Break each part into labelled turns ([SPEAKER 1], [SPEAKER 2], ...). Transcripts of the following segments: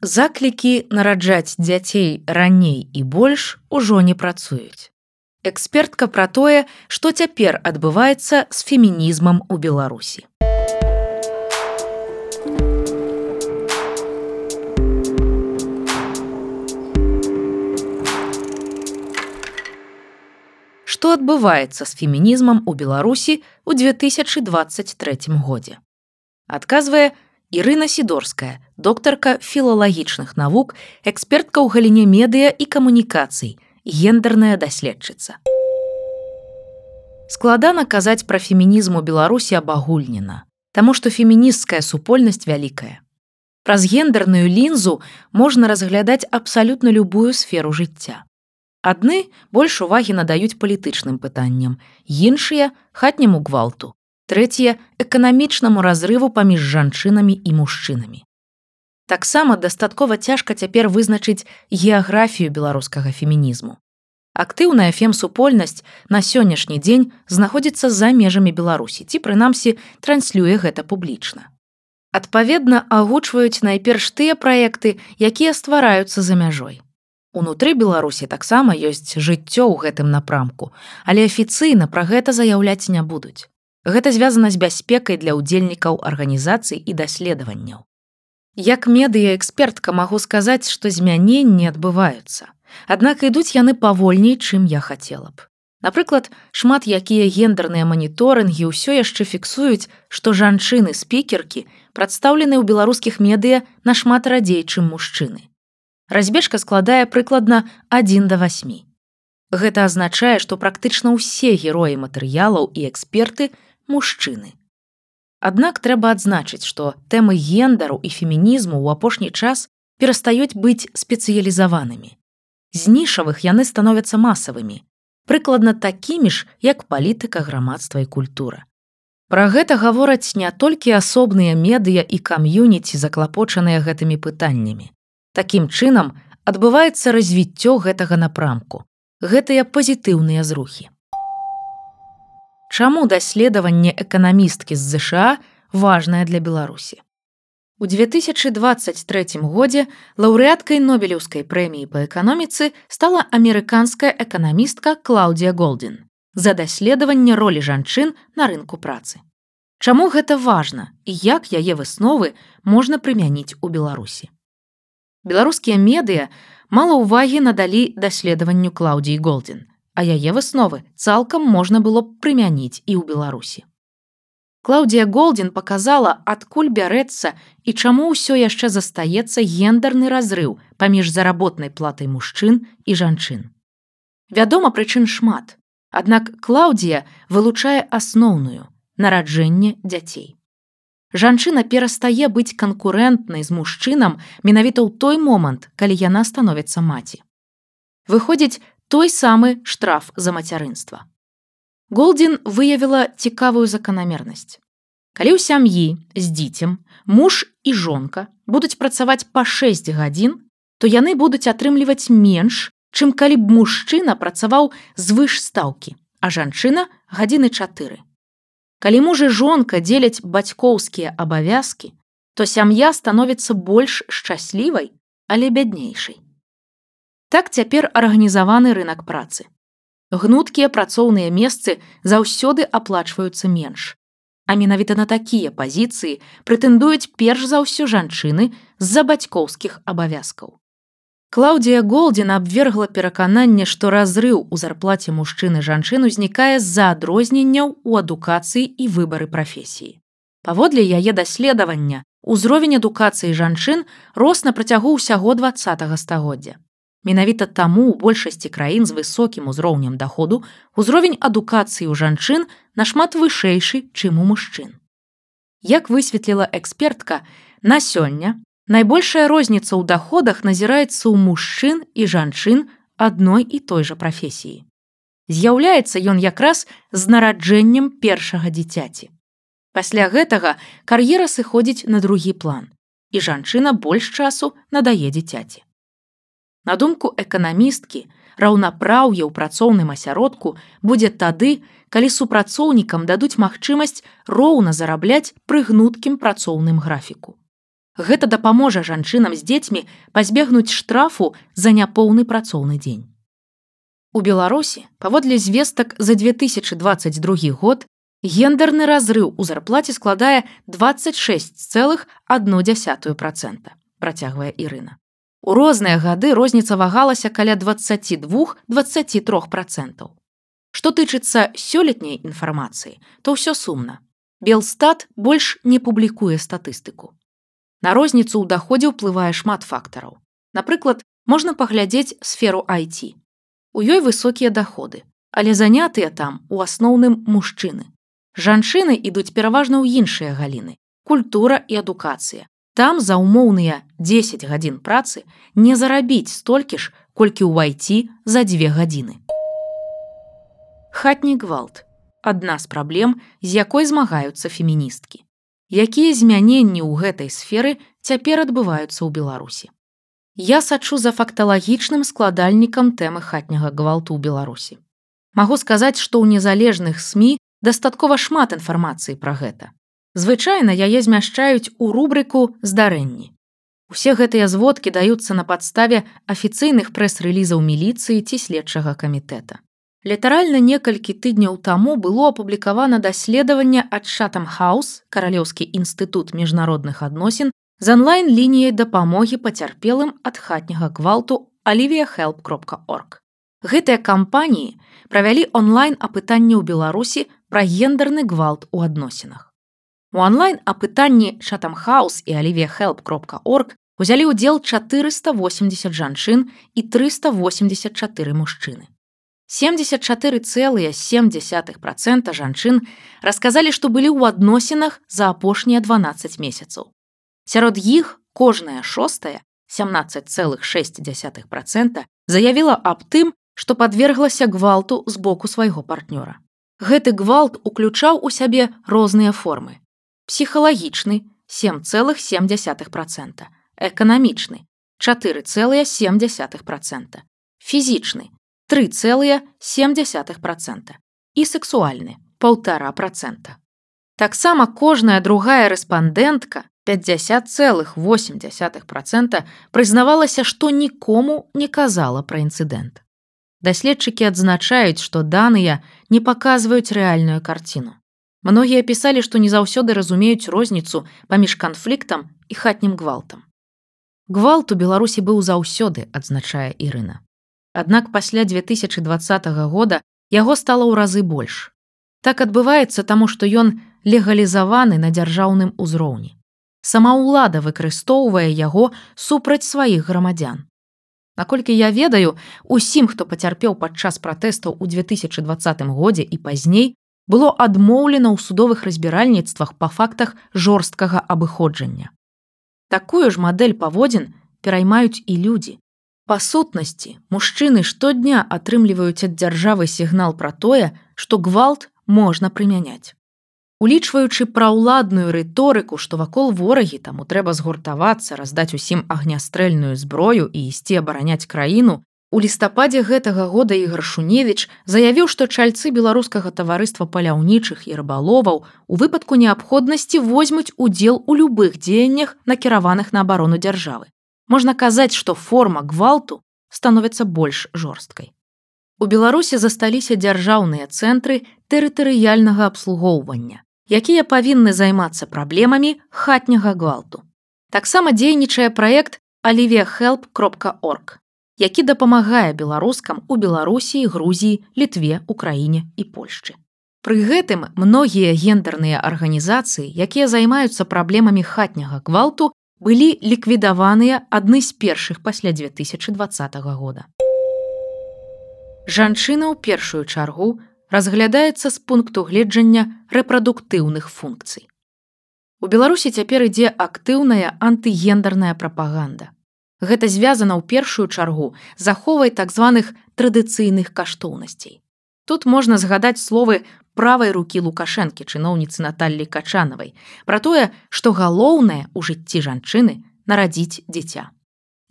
[SPEAKER 1] Заклікі нараджаць дзяцей раней і больш ужо не працуюць. Экспертка пра тое, што цяпер адбываецца з фемінізмам у Беларусі. Што адбываецца з фемінізмам у Беларусі ў 2023 годзе? Адказвае Ірына Сідорская, доктарка філалагічных навук, экспертка ў галіне медыа і камунікацый, гендерная даследчыца. Складана казаць пра фемінізм у Беларусі абагульнена, таму што фемінісцкая супольнасць вялікая. Праз гендерную лінзу можна разглядаць абсалютна любую сферу жыцця. Адны больш увагі надаюць палітычным пытанням, іншыя хатняму гвалту, трэція эканамічнаму разрыву паміж жанчынамі і мужчынамі. Таксама дастаткова цяжка цяпер вызначыць геаграфію беларускага фемінізму. Актыўная фем-супольнасць на сённяшні дзень знаходзіцца за межамі Беларусі, ці прынамсі транслюе гэта публічна. Адпаведна, агучваюць найперш тыя праекты, якія ствараюцца за мяжой. Унутры Беларусі таксама ёсць жыццё ў гэтым напрамку, але афіцыйна пра гэта заяўляць не будуць. Гэта звязана з бяспекай для ўдзельнікаў арганізацый і даследаванняў. Як медыа-экспертка магу сказаць, што змяненні адбываюцца. Аднак ідуць яны павольней, чым я хацела б. Напрыклад, шмат якія гендерныя маніторынгі ўсё яшчэ фіксуюць, што жанчыны-спікеркі прадстаўлены ў беларускіх медыа нашмат радзей, чым мужчыны. Разбежка складае прыкладна 1 да 8. Гэта азначае, што практычна ўсе героі матэрыялаў і эксперты мужчыны. Аднак трэба адзначыць, што тэмы гендеру і фемінізму ў апошні час перастаюць быць спецыялізаванымі. З нішавых яны становяцца масавымі, прыкладна такімі ж, як палітыка, грамадства і культура. Пра гэта гавораць не толькі асобныя медыа і кам'юніці, заклапочаныя гэтымі пытаннямі. Такім чынам адбываецца развіццё гэтага напрамку, гэтыя пазітыўныя зрухі. Чаму даследаванне эканамісткі з ЗША важнае для Беларусі? У 2023 годзе лаўрэаткай Нобелеўскай прэміі па эканоміцы стала амерыканская эканамістка Клаудія Голдзін за даследаванне ролі жанчын на рынку працы. Чаму гэта важна і як яе высновы можна прымяніць у Беларусі? Беларускія медыа мала ўвагі надалі даследаванню Клаудіі Голдзін, а яе высновы цалкам можна было б прымяніць і ў Беларусі. Клаудія Голдзін паказала, адкуль бярэцца і чаму ўсё яшчэ застаецца гендерны разрыў паміж заработнай платай мужчын і жанчын. Вядома, прычын шмат, аднак Клаудія вылучае асноўную – нараджэнне дзяцей. Жанчына перастае быць канкурэнтнай з мужчынам менавіта ў той момант, калі яна становіцца маці. Выходзіць той самы штраф за мацярынства. Голдзін выявіла цікавую заканамернасць. Калі ў сям'і з дзіцем муж і жонка будуць працаваць па 6 гадзін, то яны будуць атрымліваць менш, чым калі б мужчына працаваў звыш стаўкі, а жанчына гадзіны 4. Калі муж і жонка дзеляць бацькоўскія абавязкі, то сям'я становіцца больш шчаслівай, але бяднейшай. Так цяпер арганізаваны рынак працы. Гнуткія працоўныя месцы заўсёды аплачваюцца менш. А менавіта на такія пазіцыі прэтэндуюць перш за ўсё жанчыны з-за бацькоўскіх абавязкаў. Клаудія Голдзін абвергла перакананне, што разрыў у зарплаце мужчын і жанчын узнікае з-за адрозненняў у адукацыі і выбары прафесіі. Паводле яе даследавання, узровень адукацыі жанчын рос на працягу ўсяго 20 стагоддзя. Менавіта таму ў большасці краін з высокім узроўнем даходу узровень адукацыі ў жанчын нашмат вышэйшы, чым у мужчын. Як высветліла экспертка, на сёння найбольшая розніца ў даходах назіраецца ў мужчын і жанчын адной і той жа прафесіі. З'яўляецца ён якраз з нараджэннем першага дзіцяці. Пасля гэтага кар'ера сыходзіць на другі план, і жанчына больш часу надае дзіцяці. На думку эканамісткі, раўнапраўе ў працоўным асяродку будзе тады, калі супрацоўнікам дадуць магчымасць роўна зарабляць пры гнуткім працоўным графіку. Гэта дапаможа жанчынам з дзецьмі пазбегнуць штрафу за няпоўны працоўны дзень. У Беларусі, паводле звестак за 2022 год, гендерны разрыў у зарплаце складае 26,1%, працягвае Ірына. У розныя гады розніца вагалася каля 22-23%. Што тычыцца сёлетняй інфармацыі, то ўсё сумна. Белстат больш не публікуе статыстыку. На розніцу ў даходзе ўплывае шмат фактараў. Напрыклад, можна паглядзець сферу IT. У ёй высокія даходы, але занятыя там у асноўным мужчыны. Жанчыны ідуць пераважна ў іншыя галіны – культура і адукацыя. Там за ўмоўныя 10 гадзін працы не зарабіць столькі ж, колькі ў IT за 2 гадзіны. Хатні гвалт – адна з праблем, з якой змагаюцца феміністкі. Якія змяненні ў гэтай сферы цяпер адбываюцца ў Беларусі? Я сачу за факталагічным складальнікам тэмы хатняга гвалту ў Беларусі. Магу сказаць, што ў незалежных СМІ дастаткова шмат інфармацыі пра гэта. Звычайна яе змяшчаюць у рубрыку «Здарэнні». Усе гэтыя зводкі даюцца на падставе афіцыйных прэс-рэлізаў міліцыі ці следчага камітэта. Літаральна некалькі тыдняў таму было апублікавана даследаванне ад Chatham House, Каралеўскі інстытут міжнародных адносін, з онлайн-лініяй дапамогі пацярпелым ад хатняга гвалту aliviahelp.org. Гэтыя кампаніі правялі онлайн-апытанне ў Беларусі пра гендерны гвалт у адносінах. У онлайн-апытанні Chatham House і aliviahelp.org узялі ўдзел 480 жанчын і 384 мужчыны. 74,7% жанчын расказалі, што былі ў адносінах за апошнія 12 месяцаў. Сярод іх кожная шостая, 17,6%, заявіла аб тым, што падверглася гвалту з боку свайго партнёра. Гэты гвалт уключаў у сябе розныя формы. Псіхалагічны – 7,7%, эканамічны – 4,7%, фізічны – 3,7% і сексуальны – 1,5%. Таксама кожная другая рэспандэнтка, 50,8%, прызнавалася, што нікому не казала пра інцыдэнт. Даследчыкі адзначаюць, што даныя не паказваюць рэальную карціну. Многія пісалі, што не заўсёды разумеюць розніцу паміж канфліктам і хатнім гвалтам. Гвалт у Беларусі быў заўсёды, адзначае Ірына. Аднак пасля 2020 года яго стала ў разы больш. Так адбываецца, таму што ён легалізаваны на дзяржаўным узроўні. Сама ўлада выкарыстоўвае яго супраць сваіх грамадзян. Наколькі я ведаю, усім, хто пацярпеў падчас пратэстаў у 2020 годзе і пазней, было адмоўлена ў судовых разбіральніцтвах па фактах жорсткага абыходжання. Такую ж мадэль паводзін пераймаюць і людзі. Па сутнасці, мужчыны штодня атрымліваюць ад дзяржавы сігнал пра тое, што гвалт можна прымяняць. Улічваючы праўладную рыторыку, што вакол ворагі, таму трэба згуртавацца, раздаць усім агнястрэльную зброю і ісці абараняць краіну, у лістападзе гэтага года Ігар Шуневіч заявіў, што чальцы беларускага таварыства паляўнічых і рыбаловаў у выпадку неабходнасці возьмуць удзел у любых дзеяннях, накіраваных на абарону дзяржавы. Можна казаць, што форма гвалту становіцца больш жорсткай. У Беларусі засталіся дзяржаўныя цэнтры тэрытарыяльнага абслугоўвання, якія павінны займацца праблемамі хатняга гвалту. Таксама дзейнічае праект aliviahelp.org, які дапамагае беларускам у Беларусі, Грузіі, Літве, Украіне і Польшчы. Пры гэтым многія гендерныя арганізацыі, якія займаюцца праблемамі хатняга гвалту, былі ліквідаваныя адны з першых пасля 2020 года. Жанчына ў першую чаргу разглядаецца з пункту гледжання рэпрадуктыўных функцый. У Беларусі цяпер ідзе актыўная антыгендерная прапаганда. Гэта звязана ў першую чаргу з аховай так званых традыцыйных каштоўнасцей. Тут можна згадаць словы правай рукі Лукашэнкі, чыноўніцы Наталлі Качанавай, пра тое, што галоўнае ў жыцці жанчыны нарадзіць дзіця.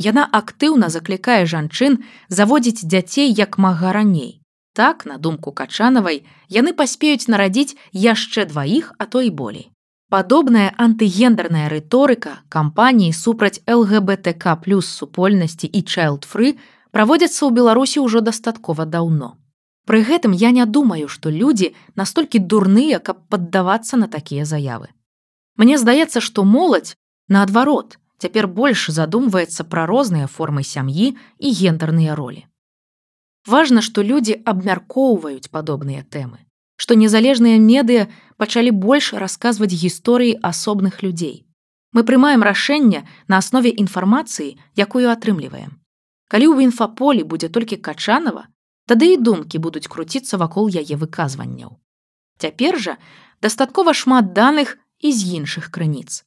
[SPEAKER 1] Яна актыўна заклікае жанчын заводзіць дзяцей як мага раней. Так, на думку Качанавай, яны паспеюць нарадзіць яшчэ 2, а то і болей. Падобная антыгендерная рыторыка кампаніі супраць ЛГБТК+ супольнасці і child-free праводзяцца ў Беларусі ўжо дастаткова даўно. Пры гэтым я не думаю, што людзі настолькі дурныя, каб паддавацца на такія заявы. Мне здаецца, што моладзь, наадварот, цяпер больш задумваецца пра розныя формы сям'і і гендерныя ролі. Важна, што людзі абмяркоўваюць падобныя тэмы, што незалежныя медыа пачалі больш расказваць гісторыі асобных людзей. Мы прымаем рашэнне на аснове інфармацыі, якую атрымліваем. Калі ў інфаполі будзе толькі Качанова, тады і думкі будуць круціцца вакол яе выказванняў. Цяпер жа дастаткова шмат даных і з іншых крыніц.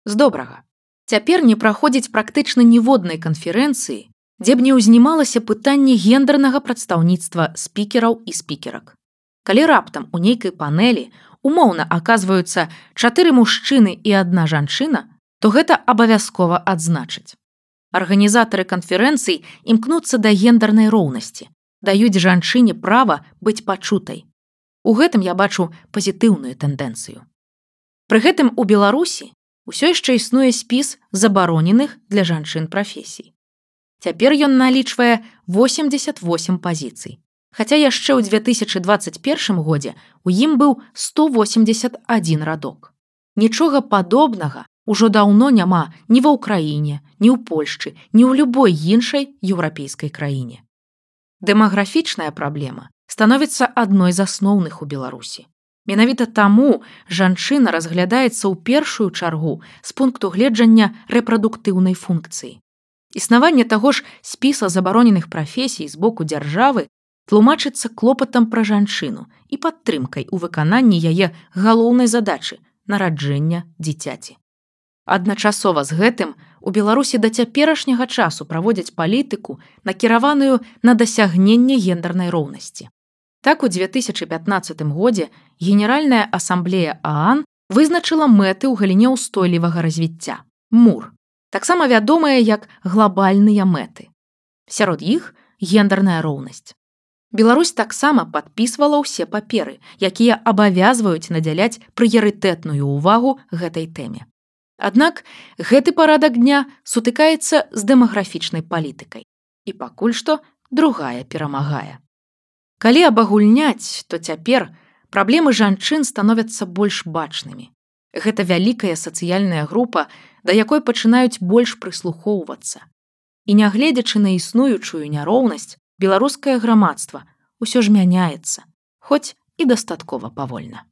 [SPEAKER 1] З добрага. Цяпер не праходзіць практычна ніводнай канферэнцыі, дзе б не ўзнімалася пытанне гендернага прадстаўніцтва спікераў і спікерак. Калі раптам у нейкай панэлі умоўна аказваюцца 4 мужчыны і 1 жанчына, то гэта абавязкова адзначыць. Арганізатары канферэнцый імкнуцца да гендернай роўнасці, даюць жанчыне права быць пачутай. У гэтым я бачу пазітыўную тэндэнцыю. Пры гэтым у Беларусі усё яшчэ існуе спіс забароненых для жанчын прафесій. Цяпер ён налічвае 88 пазіцый, хаця яшчэ ў 2021 годзе у ім быў 181 радок. Нічога падобнага ўжо даўно няма ні ва ўкраіне, ні ў Польшчы, ні ў любой іншай еўрапейскай краіне. Дэмаграфічная праблема становіцца адной з асноўных у Беларусі. Менавіта таму жанчына разглядаецца ў першую чаргу з пункту гледжання рэпрадуктыўнай функцыі. Існаванне таго ж спіса забароненых прафесій з боку дзяржавы тлумачыцца клопатам пра жанчыну і падтрымкай у выкананні яе галоўнай задачы нараджэння дзіцяці. Адначасова з гэтым у Беларусі да цяперашняга часу праводзяць палітыку, накіраваную на дасягненне гендернай роўнасці. Так, у 2015 годзе Генеральная асамблея ААН вызначыла мэты ў галіне ўстойлівага развіцця – МУР, таксама вядомыя як глабальныя мэты. Сярод іх гендерная роўнасць. Беларусь таксама падпісвала ўсе паперы, якія абавязваюць надзяляць прыярытэтную ўвагу гэтай тэме. Аднак гэты парадак дня сутыкаецца з дэмаграфічнай палітыкай. І пакуль што другая перамагае. Калі абагульняць, то цяпер праблемы жанчын становяцца больш бачнымі. Гэта вялікая сацыяльная група, да якой пачынаюць больш прыслухоўвацца. І нягледзячы на існуючую няроўнасць, беларускае грамадства ўсё ж мяняецца, хоць і дастаткова павольна.